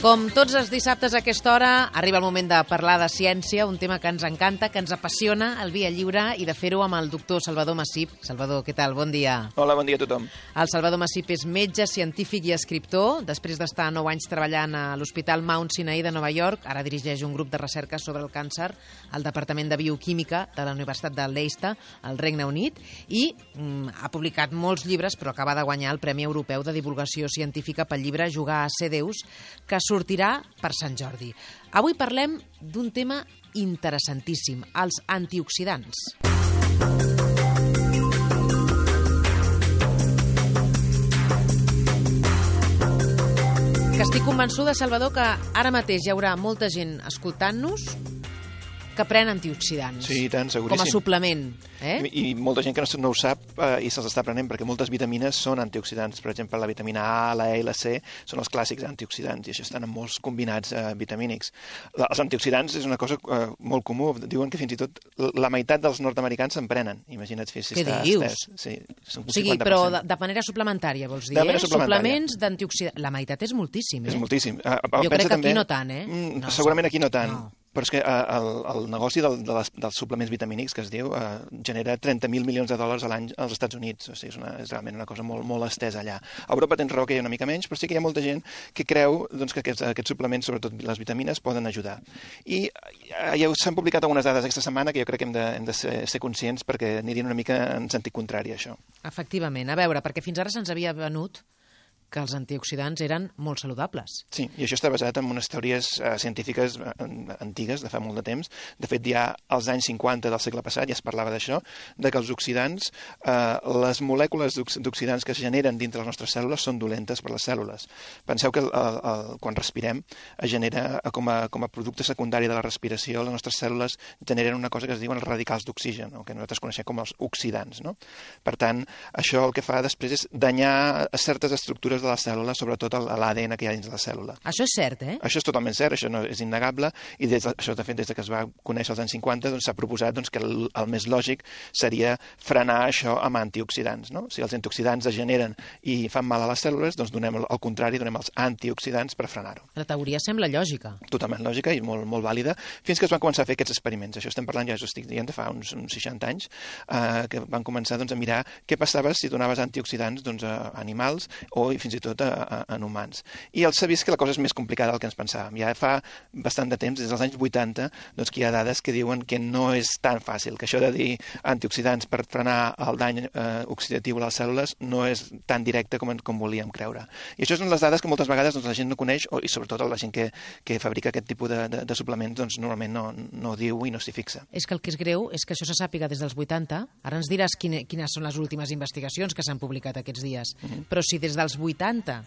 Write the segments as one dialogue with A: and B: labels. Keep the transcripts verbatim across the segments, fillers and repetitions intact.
A: Com tots els dissabtes a aquesta hora, arriba el moment de parlar de ciència, un tema que ens encanta, que ens apassiona, el Via Lliure, i de fer-ho amb el doctor Salvador Massip. Salvador, què tal? Bon dia.
B: Hola, bon dia a tothom.
A: El Salvador Massip és metge, científic i escriptor. Després d'estar nou anys treballant a l'Hospital Mount Sinai de Nova York, ara dirigeix un grup de recerca sobre el càncer al Departament de Bioquímica de la Universitat de Leicester, al Regne Unit, i mm, ha publicat molts llibres, però acaba de guanyar el Premi Europeu de Divulgació Científica pel llibre Jugar a ser Déus, que sortirà per Sant Jordi. Avui parlem d'un tema interessantíssim, els antioxidants. Que estic convençuda, Salvador, que ara mateix hi haurà molta gent escoltant-nos que pren antioxidants.
B: Sí, tant, seguríssim.
A: Com a suplement. Eh?
B: I, I molta gent que no, no ho sap eh, i se'ls està prenent, perquè moltes vitamines són antioxidants. Per exemple, la vitamina A, la E i la C són els clàssics antioxidants, i això estan en molts combinats eh, vitamínics. La, els antioxidants és una cosa eh, molt comú. Diuen que fins i tot la meitat dels nord-americans se'n prenen. Imagina't si
A: Què
B: està
A: dius?
B: estès. Sí,
A: o sigui, però de, de manera suplementària, vols dir?
B: De manera
A: eh?
B: suplementària.
A: Suplements d'antioxidants. La meitat és moltíssim, eh?
B: És moltíssim. Uh,
A: jo crec que
B: també...
A: aquí no tant, eh?
B: Mm,
A: no,
B: segurament aquí no tant.
A: No.
B: Però és que uh, el, el negoci del, de les, dels suplements vitamínics, que es diu, uh, genera trenta mil milions de dòlars a l'any als Estats Units. O sigui, és, una, és realment una cosa molt, molt estesa allà. A Europa tens raó que hi ha una mica menys, però sí que hi ha molta gent que creu doncs, que aquests, aquests suplements, sobretot les vitamines, poden ajudar. I uh, ja s'han publicat algunes dades aquesta setmana que jo crec que hem de, hem de ser, ser conscients, perquè anirien una mica en sentit contrari a això.
A: Efectivament. A veure, perquè fins ara se'ns havia venut que els antioxidants eren molt saludables.
B: Sí, i això està basat en unes teories uh, científiques uh, antigues, de fa molt de temps. De fet, ja als anys cinquanta del segle passat ja es parlava d'això, de que els oxidants, uh, les molècules d'oxidants que es generen dintre les nostres cèl·lules són dolentes per les cèl·lules. Penseu que el, el, el, quan respirem es genera com a, com a producte secundari de la respiració, les nostres cèl·lules generen una cosa que es diuen els radicals d'oxigen, no? Que nosaltres coneixem com els oxidants. No? Per tant, això el que fa després és danyar certes estructures de la cèl·lula, sobretot l'A D N que hi ha dins de la cèl·lula.
A: Això és cert, eh?
B: Això és totalment cert, això no és innegable, i des de, això, de fet, des de que es va conèixer als anys cinquanta, doncs s'ha proposat doncs, que el, el més lògic seria frenar això amb antioxidants. No? Si els antioxidants es generen i fan mal a les cèl·lules, doncs donem el contrari, donem els antioxidants per frenar-ho.
A: La teoria sembla lògica.
B: Totalment lògica i molt, molt vàlida, fins que es van començar a fer aquests experiments. Això estem parlant, ja us estic dient, de fa uns, uns seixanta anys, eh, que van començar doncs, a mirar què passava si donaves antioxidants doncs, a animals o fins i tot a, a, en humans. I els s'ha vist que la cosa és més complicada del que ens pensàvem. Ja fa bastant de temps, des dels anys vuitanta, doncs, que hi ha dades que diuen que no és tan fàcil, que això de dir antioxidants per frenar el dany eh, oxidatiu a les cèl·lules no és tan directe com, com volíem creure. I això són les dades que moltes vegades doncs, la gent no coneix, o, i sobretot la gent que, que fabrica aquest tipus de, de, de suplements doncs, normalment no, no diu i no s'hi fixa.
A: És que el que és greu és que això se sàpiga des dels vuitanta. Ara ens diràs quine, quines són les últimes investigacions que s'han publicat aquests dies. Uh-huh. Però si des dels vuitanta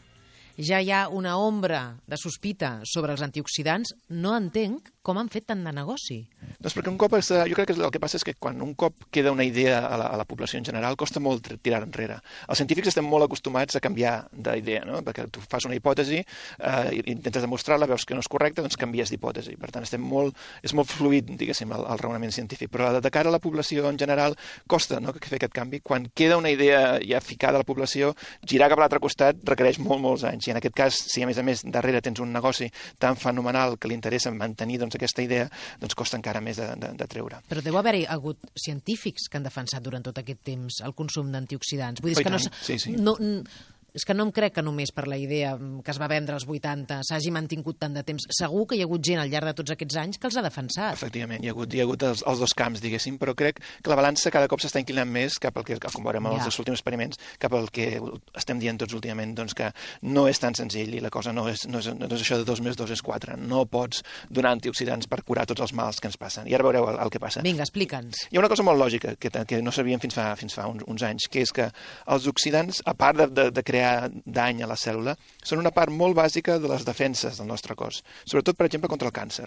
A: ja hi ha una ombra de sospita sobre els antioxidants, no entenc com han fet tant de negoci.
B: Doncs perquè un cop, es, jo crec que el que passa és que quan un cop queda una idea a la, a la població en general, costa molt tirar enrere. Els científics estem molt acostumats a canviar d'idea, no? Perquè tu fas una hipòtesi, eh, intentes demostrar-la, veus que no és correcta, doncs canvies d'hipòtesi. Per tant, estem molt, és molt fluid, diguéssim, el, el raonament científic. Però de cara a la població en general costa, no?, fer aquest canvi. Quan queda una idea ja ficada a la població, girar cap a l'altre costat requereix molt, molts anys. I en aquest cas, si a més a més darrere tens un negoci tan fenomenal que li interessa mantenir doncs, aquesta idea, doncs costa encara més de, de, de treure.
A: Però deu haver-hi hagut científics que han defensat durant tot aquest temps el consum d'antioxidants. Vull dir,
B: oh,
A: que no,
B: sí, sí.
A: no, és que no em crec que només per la idea que es va vendre als vuitanta s'hagi mantingut tant de temps. Segur que hi ha hagut gent al llarg de tots aquests anys que els ha defensat.
B: Efectivament, hi ha hagut, hi ha hagut els, els dos camps, diguéssim, però crec que la balança cada cop s'està inclinant més cap al que, com veurem en ja. els últims experiments, cap al que estem dient tots últimament, doncs que no és tan senzill i la cosa no és, no és, no és això de dos més dos és quatre. No pots donar antioxidants per curar tots els mals que ens passen. I ara veureu el, el que passa.
A: Vinga, explica'ns.
B: Hi ha una cosa molt lògica que, que no sabíem fins fa, fins fa uns, uns anys, que és que els oxidants, a part de, de, de crear dany a la cèl·lula, són una part molt bàsica de les defenses del nostre cos, sobretot, per exemple, contra el càncer.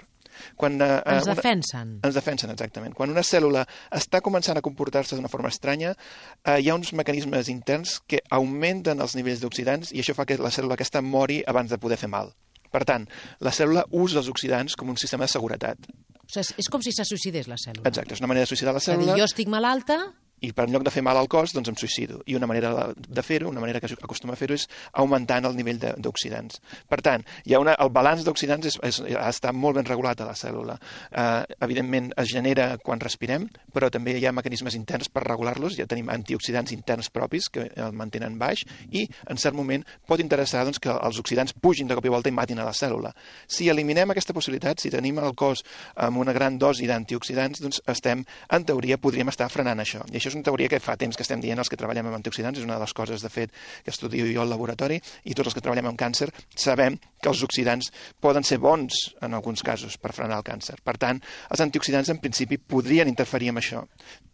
B: Quan, eh,
A: ens
B: una...
A: defensen?
B: Ens defensen, exactament. Quan una cèl·lula està començant a comportar-se d'una forma estranya, eh, hi ha uns mecanismes interns que augmenten els nivells d'oxidants i això fa que la cèl·lula aquesta mori abans de poder fer mal. Per tant, la cèl·lula usa els oxidants com un sistema de seguretat.
A: O sigui, és com si se suïcidés la cèl·lula.
B: Exacte, és una manera de suïcidar la
A: cèl·lula. És a dir, jo estic malalta
B: i per en lloc de fer mal al cos, doncs em suïcido. I una manera de fer-ho, una manera que acostuma a fer-ho, és augmentant el nivell d'oxidants. Per tant, hi ha una, el balanç d'oxidants és, és, està molt ben regulat a la cèl·lula. Eh, evidentment, es genera quan respirem, però també hi ha mecanismes interns per regular-los. Ja tenim antioxidants interns propis que el mantenen baix i, en cert moment, pot interessar doncs, que els oxidants pugin de cop i volta i matin a la cèl·lula. Si eliminem aquesta possibilitat, si tenim el cos amb una gran dosi d'antioxidants, doncs estem, en teoria, podríem estar frenant això. I això és una teoria que fa temps que estem dient els que treballem amb antioxidants, és una de les coses, de fet, que estudio jo al laboratori, i tots els que treballem amb càncer sabem que els oxidants poden ser bons, en alguns casos, per frenar el càncer. Per tant, els antioxidants, en principi, podrien interferir amb això.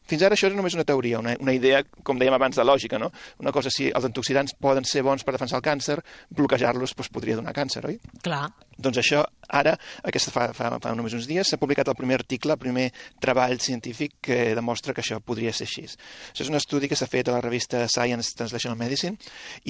B: Fins ara això és només una teoria, una, una idea, com dèiem abans, de lògica, no? Una cosa, si els antioxidants poden ser bons per defensar el càncer, bloquejar-los doncs, podria donar càncer, oi?
A: Clar.
B: Doncs això, ara, aquesta fa, fa, fa només uns dies, s'ha publicat el primer article, el primer treball científic que demostra que això podria ser així. Això és un estudi que s'ha fet a la revista Science Translational Medicine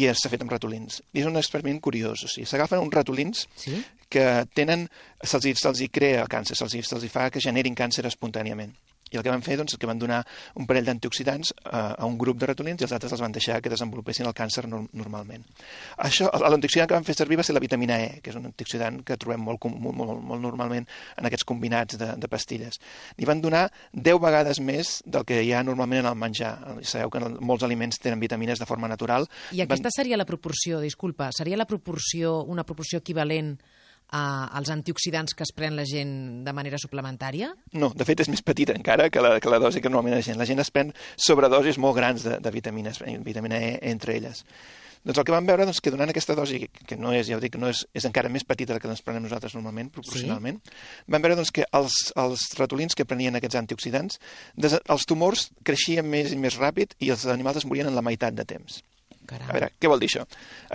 B: i s'ha fet amb ratolins. I és un experiment curiós, o sigui, s'agafen uns ratolins sí? que tenen, se'ls se hi crea el càncer, se'ls se hi fa que generin càncer espontàniament. I el que van fer doncs, és que van donar un parell d'antioxidants a, a un grup de ratolins i els altres els van deixar que desenvolupessin el càncer no, normalment. Això, l'antioxidant que van fer servir va ser la vitamina E, que és un antioxidant que trobem molt, molt, molt, molt normalment en aquests combinats de, de pastilles. I van donar deu vegades més del que hi ha normalment en el menjar. Sabeu que molts aliments tenen vitamines de forma natural.
A: I aquesta van... seria la proporció, disculpa, seria la proporció, una proporció equivalent als antioxidants que es pren la gent de manera suplementària?
B: No, de fet és més petita encara que la, que la dosi que normalment la gent. La gent es pren sobredosis molt grans de, de vitamines, vitamina E entre elles. Doncs el que vam veure doncs, que donant aquesta dosi, que no és, ja ho dic, no és, és encara més petita que ens prenem nosaltres normalment, proporcionalment, sí? Vam veure doncs, que els, els ratolins que prenien aquests antioxidants, des, els tumors creixien més i més ràpid i els animals es morien en la meitat de temps.
A: Caram.
B: A veure, què vol dir això?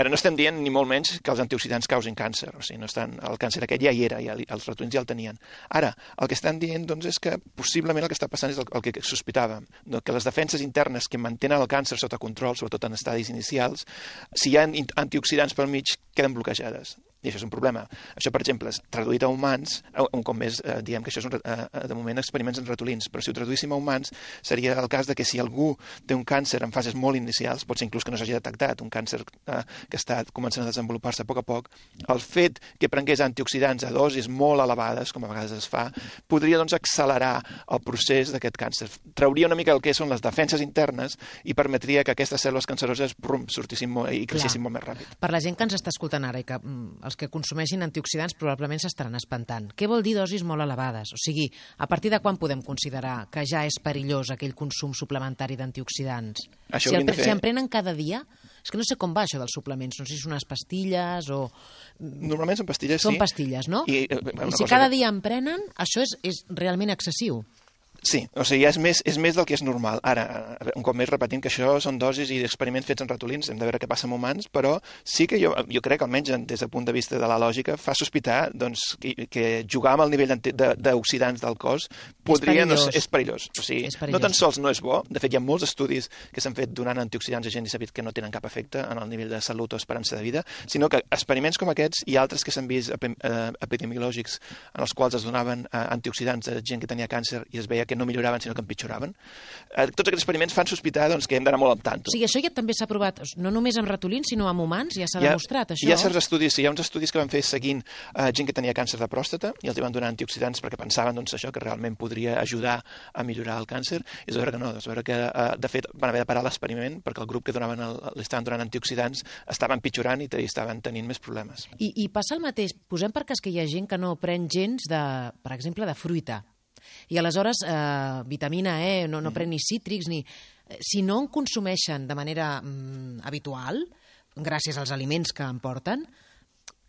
B: Ara no estem dient ni molt menys que els antioxidants causin càncer, o sigui, no estan, el càncer aquest ja hi era, ja, els ratolins ja el tenien. Ara, el que estan dient doncs, és que possiblement el que està passant és el, el que sospitàvem, no? Que les defenses internes que mantenen el càncer sota control, sobretot en estadis inicials, si hi ha antioxidants pel mig, queden bloquejades. I això és un problema. Això, per exemple, traduït a humans, un cop més eh, diem que això és un, eh, de moment experiments en ratolins, però si ho traduíssim a humans seria el cas de que si algú té un càncer en fases molt inicials, pot ser inclús que no s'hagi detectat, un càncer eh, que està començant a desenvolupar-se a poc a poc, el fet que prengués antioxidants a dosis molt elevades, com a vegades es fa, podria doncs accelerar el procés d'aquest càncer. Trauria una mica el que són les defenses internes i permetria que aquestes cèl·lules canceroses brum, sortissin molt, i creixessin molt més ràpid.
A: Per la gent que ens està escoltant ara i que els que consumeixin antioxidants probablement s'estaran espantant. Què vol dir dosis molt elevades? O sigui, a partir de quan podem considerar que ja és perillós aquell consum suplementari d'antioxidants? Si, el, fer... si en prenen cada dia? És que no sé com va això dels suplements, no sé si són unes pastilles o...
B: Normalment són pastilles,
A: són
B: sí.
A: Són pastilles, no?
B: I,
A: I si cada que... dia en prenen, això és, és realment excessiu.
B: Sí, o sigui, és més, és més del que és normal. Ara, un cop més repetint que això són dosis i experiments fets en ratolins, hem de veure què passa amb humans, però sí que jo, jo crec, almenys des del punt de vista de la lògica, fa sospitar doncs, que, que jugar amb el nivell d'oxidants del cos podria, és perillós. No, és perillós. O sigui, és perillós. No tan sols no és bo, de fet hi ha molts estudis que s'han fet donant antioxidants a gent i s'ha vist que no tenen cap efecte en el nivell de salut o esperança de vida, sinó que experiments com aquests i altres que s'han vist epidemiològics en els quals es donaven antioxidants a gent que tenia càncer i es veia que no milloraven, sinó que empitjoraven. Eh, tots aquests experiments fan sospitar doncs, que hem d'anar molt al tanto.
A: O sigui, això ja també s'ha provat, no només amb ratolins, sinó amb humans, ja s'ha demostrat, això?
B: Hi ha certs estudis, sí, hi ha uns estudis que van fer seguint eh, gent que tenia càncer de pròstata i els van donar antioxidants perquè pensaven doncs, això que realment podria ajudar a millorar el càncer, i és veure que no, és veure que, eh, de fet, van haver de parar l'experiment perquè el grup que donaven el, li estaven donant antioxidants estaven pitjorant i estaven tenint més problemes.
A: I, i passa el mateix, posem per cas que hi ha gent que no pren gens, de, per exemple, de fruita, i aleshores eh, vitamina E, no, no pren ni cítrics, ni... Si no en consumeixen de manera mm, habitual, gràcies als aliments que en porten,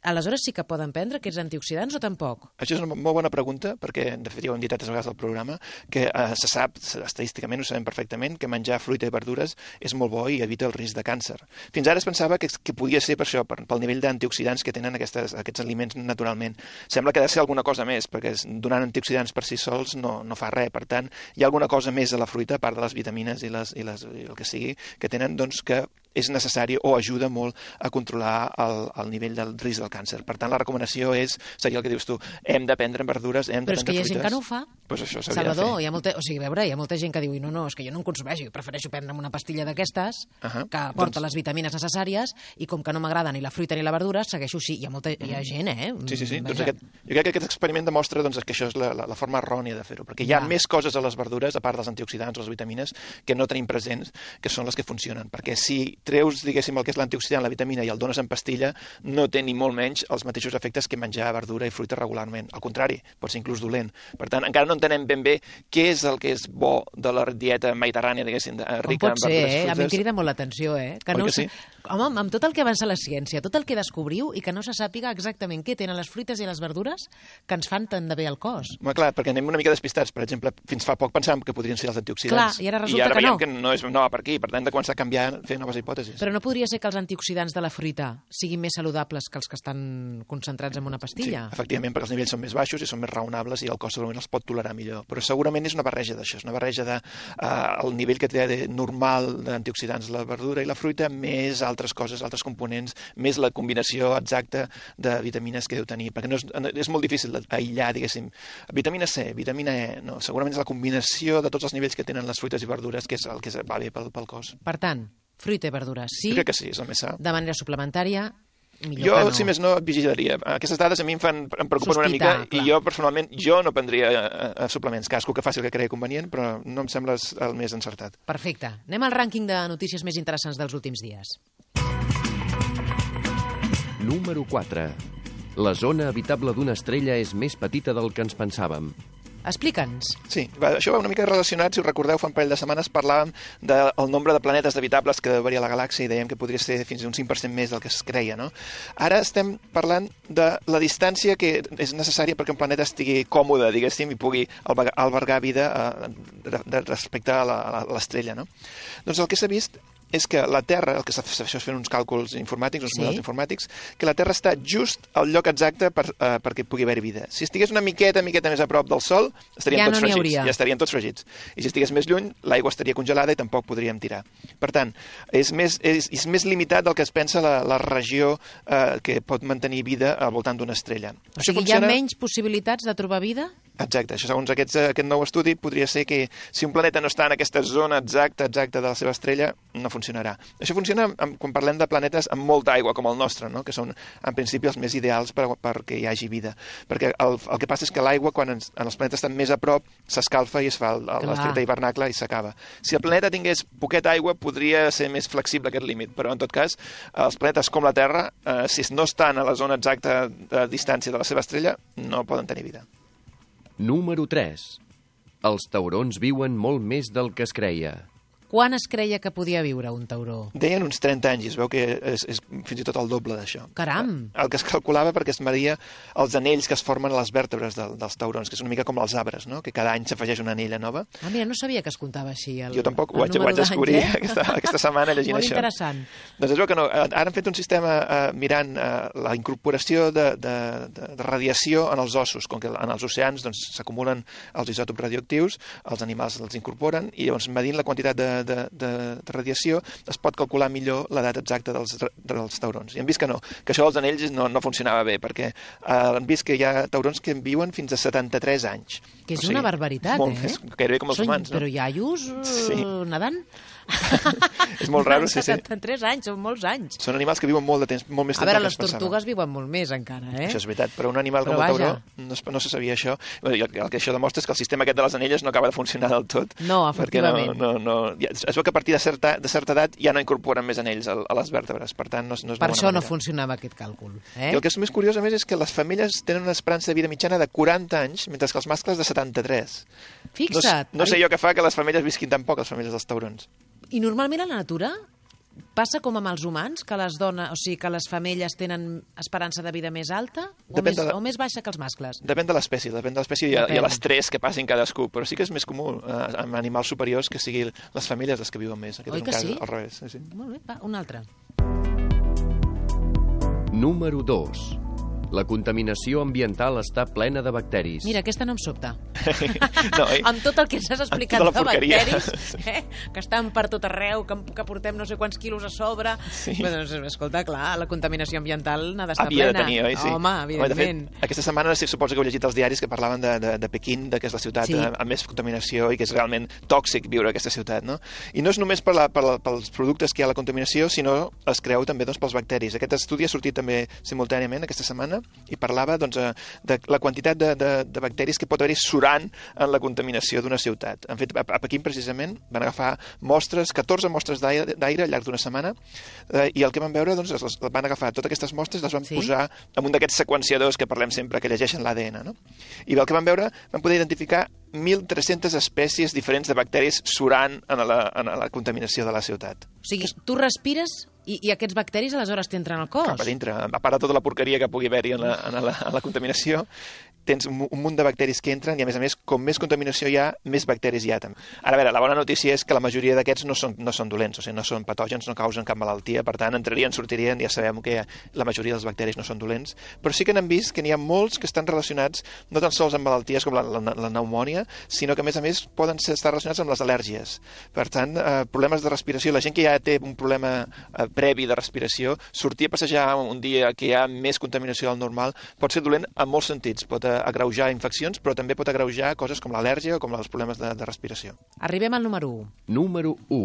A: aleshores sí que poden prendre aquests antioxidants o tampoc?
B: Això és una molt bona pregunta, perquè, de fet, ja ho hem dit altres vegades al programa, que eh, se sap, estadísticament ho sabem perfectament, que menjar fruita i verdures és molt bo i evita el risc de càncer. Fins ara es pensava que, que podia ser per això, per, pel nivell d'antioxidants que tenen aquestes, aquests aliments naturalment. Sembla que ha de ser alguna cosa més, perquè donant antioxidants per si sols no, no fa res. Per tant, hi ha alguna cosa més a la fruita, a part de les vitamines i, les, i, les, i el que sigui, que tenen doncs, que és necessari o ajuda molt a controlar el, el nivell del risc del càncer. Per tant, la recomanació és, seria el que dius tu, hem de prendre verdures, hem de
A: Però és que
B: prendre
A: hi ha gent
B: fruites.
A: que no ho fa.
B: Pues això s'hauria
A: Salvador,
B: de fer.
A: hi ha molta, o sigui, a veure, hi ha molta gent que diu no, no, és que jo no en consumeixo, jo prefereixo prendre'm una pastilla d'aquestes
B: Uh -huh.
A: que aporta
B: Doncs-
A: les vitamines necessàries i com que no m'agrada ni la fruita ni la verdura, segueixo així. Hi ha molta hi ha gent, eh?
B: Sí, sí, sí.
A: Vaja.
B: Doncs aquest, jo crec que aquest experiment demostra doncs, que això és la, la, la forma errònia de fer-ho, perquè hi ha
A: Ja.
B: més coses a les verdures, a part dels antioxidants o les vitamines, que no tenim presents, que són les que funcionen. Perquè si treus, diguéssim, el que és l'antioxidant, la vitamina, i el dones en pastilla, no té ni molt menys els mateixos efectes que menjar verdura i fruita regularment. Al contrari, pot ser inclús dolent. Per tant, encara no entenem ben bé què és el que és bo de la dieta mediterrània, diguéssim, de,
A: Com
B: rica
A: pot
B: en
A: ser,
B: verdures i
A: eh? A mi
B: fruites.
A: em crida molt l'atenció, eh? Que
B: Oi
A: no
B: que
A: ho sé...
B: sí?
A: Home, amb tot el que avança la ciència, tot el que descobriu i que no se sàpiga exactament què tenen les fruites i les verdures que ens fan tant de bé al cos.
B: Home, clar, perquè anem una mica despistats. Per exemple, fins fa poc pensàvem que podrien ser els antioxidants.
A: Clar, i ara resulta
B: I ara
A: que
B: veiem
A: no.
B: que no, és, no va per aquí. Per tant, hem de començar a canviar, fer noves hipòtesis.
A: Però no podria ser que els antioxidants de la fruita siguin més saludables que els que estan concentrats en una
B: Sí,
A: pastilla?
B: efectivament, perquè els nivells són més baixos i són més raonables i el cos segurament els pot tolerar millor. Però segurament és una barreja d'això, és una barreja de eh, el nivell que té de normal d'antioxidants la verdura i la fruita, més altres coses, altres components, més la combinació exacta de vitamines que deu tenir, perquè no és, és molt difícil d'aïllar, diguéssim, vitamina C, vitamina E, no, segurament és la combinació de tots els nivells que tenen les fruites i verdures que és el que va bé pel, pel cos.
A: Per tant, fruita i verdures, sí,
B: Jo crec que sí, és el més sa.
A: de manera suplementària, millor
B: Jo,
A: que no.
B: si més no, et vigilaria. Aquestes dades a mi em, fan, em preocupen
A: Sospitar,
B: una mica
A: clar.
B: i jo, personalment, jo no prendria eh, eh, suplements. Cadascú que faci el que cregui convenient, però no em sembla el més encertat.
A: Perfecte. Anem al rànquing de notícies més interessants dels últims dies.
C: Número quatre. La zona habitable d'una estrella és més petita del que ens pensàvem.
A: Explica'ns.
B: Sí, va, això va una mica relacionat, si us recordeu, fa un parell de setmanes parlàvem del nombre de planetes habitables que varia la galàxia i dèiem que podria ser fins a un cinc per cent més del que es creia, no? Ara estem parlant de la distància que és necessària perquè un planeta estigui còmode, diguéssim, i pugui albergar, albergar vida eh, de, de, respecte a la- a l'estrella, no? Doncs el que s'ha vist és que la Terra, el que s'ha fet fent uns càlculs informàtics, uns
A: Sí.
B: models informàtics, que la Terra està just al lloc exacte per, uh, perquè pugui haver vida. Si estigués una miqueta, miqueta més a prop del Sol, estaríem
A: Ja
B: tots
A: no n'hi
B: fregits.
A: hauria.
B: Ja estarien tots fregits. I si estigués més lluny, l'aigua estaria congelada i tampoc podríem tirar. Per tant, és més, és, és més limitat del que es pensa la, la regió eh, que pot mantenir vida al voltant d'una estrella.
A: O sigui, hi ha menys possibilitats de trobar vida?
B: Exacte, això segons aquests, aquest nou estudi podria ser que si un planeta no està en aquesta zona exacta exacta de la seva estrella, no funcionarà. Això funciona amb, quan parlem de planetes amb molta aigua, com el nostre, no? Que són en principi els més ideals per, perquè hi hagi vida. Perquè el, el que passa és que l'aigua, quan ens, en els planetes estan més a prop, s'escalfa i es fa
A: Clar.
B: l'efecte hivernacle i s'acaba. Si el planeta tingués poqueta aigua, podria ser més flexible aquest límit, però en tot cas, els planetes com la Terra, eh, si no estan a la zona exacta de distància de la seva estrella, no poden tenir vida.
C: Número tres. Els taurons viuen molt més del que es creia.
A: Quan es creia que podia viure un tauró?
B: Deien uns trenta anys, i es veu que és, és fins i tot el doble d'això.
A: Caram!
B: El que es calculava perquè es media els anells que es formen a les vèrtebres del, dels taurons, que és una mica com els arbres, no? Que cada any s'afegeix una anella nova.
A: Ah, mira, no sabia que es comptava així. El,
B: Jo tampoc, ho
A: el
B: vaig, ho
A: número
B: vaig descobrir
A: d'anys, eh?
B: aquesta, aquesta setmana llegint
A: Molt
B: això.
A: interessant.
B: Doncs es veu que no. Ara han fet un sistema eh, mirant eh, la incorporació de, de, de, de radiació en els ossos, com que en els oceans doncs, s'acumulen els isòtops radioactius, els animals els incorporen, i llavors medint la quantitat de, de, de, de radiació es pot calcular millor l'edat exacta dels, dels taurons. I han vist que no, que això dels anells no, no funcionava bé, perquè eh, han vist que hi ha taurons que viuen fins a setanta-tres anys.
A: Que és
B: O sigui,
A: una barbaritat,
B: molt,
A: eh?
B: És gairebé com els
A: Són,
B: humans, no?
A: Però iaios uh,
B: Sí.
A: nedant?
B: És molt raro, sí, sí.
A: setanta-tres anys, són molts anys.
B: Són animals que viuen molt de temps, molt més
A: A
B: temps
A: veure,
B: del que
A: les
B: es pensava.
A: tortugues viuen molt més encara, eh?
B: Això és veritat, però un animal
A: Però
B: com el
A: vaja.
B: tauró no, es, no se sabia això. Bé, i el, el que això demostra és que el sistema aquest de les anelles no acaba de funcionar del tot.
A: No,
B: perquè no,
A: efectivament.
B: no, no, ja, es veu que a partir de certa, de certa edat ja no incorporen més anells a, a les vèrtebres, per tant no, és- no és
A: Per
B: bona
A: això no
B: manera.
A: funcionava aquest càlcul. Eh?
B: I el que és més curiós, a més, és que les femelles tenen una esperança de vida mitjana de quaranta anys, mentre que els mascles de setanta-tres. No, s-
A: Fixa't.
B: no sé jo què fa que les femelles visquin tan poc, les femelles dels taurons.
A: I normalment a la natura passa com amb els humans, que les dones, o sigui, que les femelles tenen esperança de vida més alta o,
B: Depèn
A: més,
B: de la-
A: o més baixa que els mascles?
B: Depèn de l'espècie, depèn de l'espècie i, a- i
A: Depèn.
B: a l'estrès que passin cadascú, però sí que és més comú eh, amb animals superiors que siguin les famílies les que viuen més. Aquest
A: Oi
B: és un
A: que
B: cas
A: sí?
B: al revés. Sí, sí.
A: Molt bé, va, un altre.
C: Número dos. La contaminació ambiental està plena de bacteris.
A: Mira, aquesta no em sobta.
B: No, eh?
A: Amb tot el que ens has explicat
B: Amb
A: de
B: tota la porqueria.
A: bacteris, eh? que estan per tot arreu, que, que portem no sé quants quilos a sobre...
B: Sí.
A: Bé, doncs, escolta, clar, la contaminació ambiental n'ha d'estar
B: Havia
A: plena.
B: de tenir, oi? Sí.
A: Home, evidentment.
B: De fet, aquesta setmana sí, suposo que heu llegit els diaris que parlaven de, de, de Pequín, de que és la ciutat
A: Sí.
B: amb més contaminació i que és realment tòxic viure a aquesta ciutat, no? I no és només per la, per la, pels productes que hi ha a la contaminació, sinó es creu també doncs, pels bacteris. Aquest estudi ha sortit també simultàniament aquesta setmana i parlava doncs, de la quantitat de, de, de bacteris que pot haver-hi surant en la contaminació d'una ciutat. Han fet, a, a Pequín, precisament, van agafar mostres, catorze mostres d'aire al llarg d'una setmana, eh, i el que van veure, doncs, les, van agafar totes aquestes mostres, les van
A: Sí.
B: posar en un d'aquests seqüenciadors que parlem sempre, que llegeixen l'A D N, no? I el que van veure, van poder identificar mil tres-centes espècies diferents de bacteris surant en la, en la contaminació de la ciutat.
A: O sigui, tu respires i, i aquests bacteris aleshores t'entren al cos.
B: Cap a dintre, a part de tota la porqueria que pugui haver-hi en, la, en, la, en la contaminació, tens un, un munt de bacteris que entren i, a més a més, com més contaminació hi ha, més bacteris hi ha també. Ara, a veure, la bona notícia és que la majoria d'aquests no són, no són dolents, o sigui, no són patògens, no causen cap malaltia, per tant, entrarien, sortirien, ja sabem que la majoria dels bacteris no són dolents, però sí que n'han vist que n'hi ha molts que estan relacionats no tan sols amb malalties com la, la, la pneumònia, sinó que, a més a més, poden ser, estar relacionats amb les al·lèrgies. Per tant, eh, problemes de respiració, la gent que ja té un problema eh, previ de respiració, sortir a passejar un dia que hi ha més contaminació del normal pot ser dolent en molts sentits. Pot eh, agreujar infeccions, però també pot agreujar coses com l'al·lèrgia o com els problemes de, de respiració.
A: Arribem al número u.
C: Número u.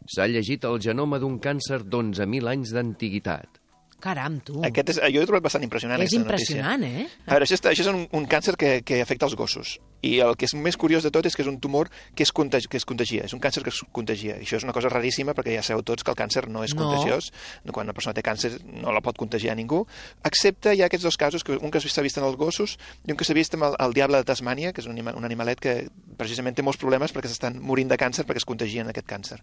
C: S'ha llegit el genoma d'un càncer d'onze mil anys d'antiguitat.
A: Caram, tu.
B: Aquest és, jo he trobat bastant impressionant.
A: És
B: aquesta
A: impressionant,
B: notícia.
A: eh?
B: A veure, això, està, això és un, un càncer que, que afecta els gossos. I el que és més curiós de tot és que és un tumor que es, contagi, que es contagia. És un càncer que es contagia. I això és una cosa raríssima perquè ja sabeu tots que el càncer no és
A: No.
B: contagiós. Quan una persona té càncer no la pot contagiar a ningú. Excepte hi ha aquests dos casos, que un que s'ha vist en els gossos i un que s'ha vist amb el, el diable de Tasmània, que és un, anima, un animalet que precisament té molts problemes perquè s'estan morint de càncer perquè es contagien aquest càncer.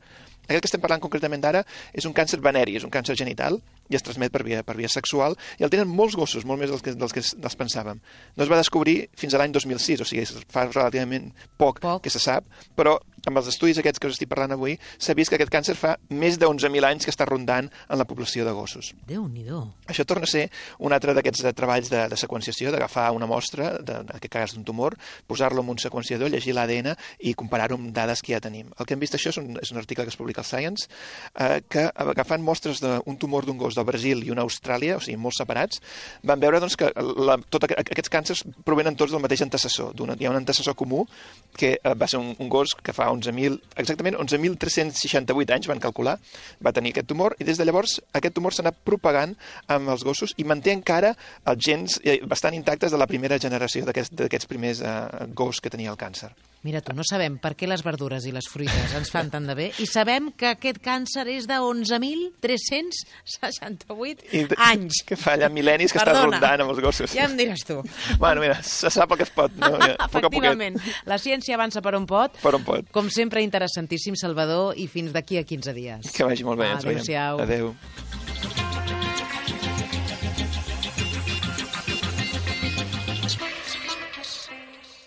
B: Aquest que estem parlant concretament d'ara és un càncer veneri, és un càncer genital i es transmet per via, per via sexual i el tenen molts gossos, molt més dels que, dels que dels pensàvem. No es va descobrir fins a l'any dos mil sis, o sigui, fa relativament poc,
A: Poc.
B: que se sap, però amb els estudis aquests que us estic parlant avui s'ha vist que aquest càncer fa més d'onze mil anys que està rondant en la població de gossos.
A: Déu-n'hi-do.
B: Això torna a ser un altre d'aquests eh, treballs de, de seqüenciació, d'agafar una mostra, de, en aquest cas d'un tumor, posar-lo en un seqüenciador, llegir l'A D N i comparar-ho amb dades que ja tenim. El que hem vist això és un, és un article que es publica al Science, eh, que agafant mostres d'un tumor d'un gos del Brasil i una Austràlia, o sigui, molt separats, van veure doncs, que la, tot aqu aquests càncers provenen tots del mateix antecessor. Hi ha un antecessor comú que eh, va ser un, un gos que fa onze mil, exactament onze mil tres-cents seixanta-vuit anys van calcular, va tenir aquest tumor i des de llavors aquest tumor s'ha anat propagant amb els gossos i manté encara els gens eh, bastant intactes de la primera generació d'aquests aquests primers eh, gos que tenia el càncer.
A: Mira tu, no sabem per què les verdures i les fruites ens fan tant de bé i sabem que aquest càncer és de onze mil tres-cents seixanta-vuit
B: I
A: anys.
B: que fa allà mil·lennis que
A: Perdona,
B: està rondant amb els gossos.
A: Ja em diràs tu.
B: Bueno, mira, se sap el que es pot, no? Ja, a poc a poquet.
A: Efectivament, la ciència avança per on pot.
B: Per on pot.
A: Com sempre, interessantíssim, Salvador, i fins d'aquí a quinze dies.
B: Que vagi molt bé, ens veiem.
A: Adéu-siau.
B: Adéu.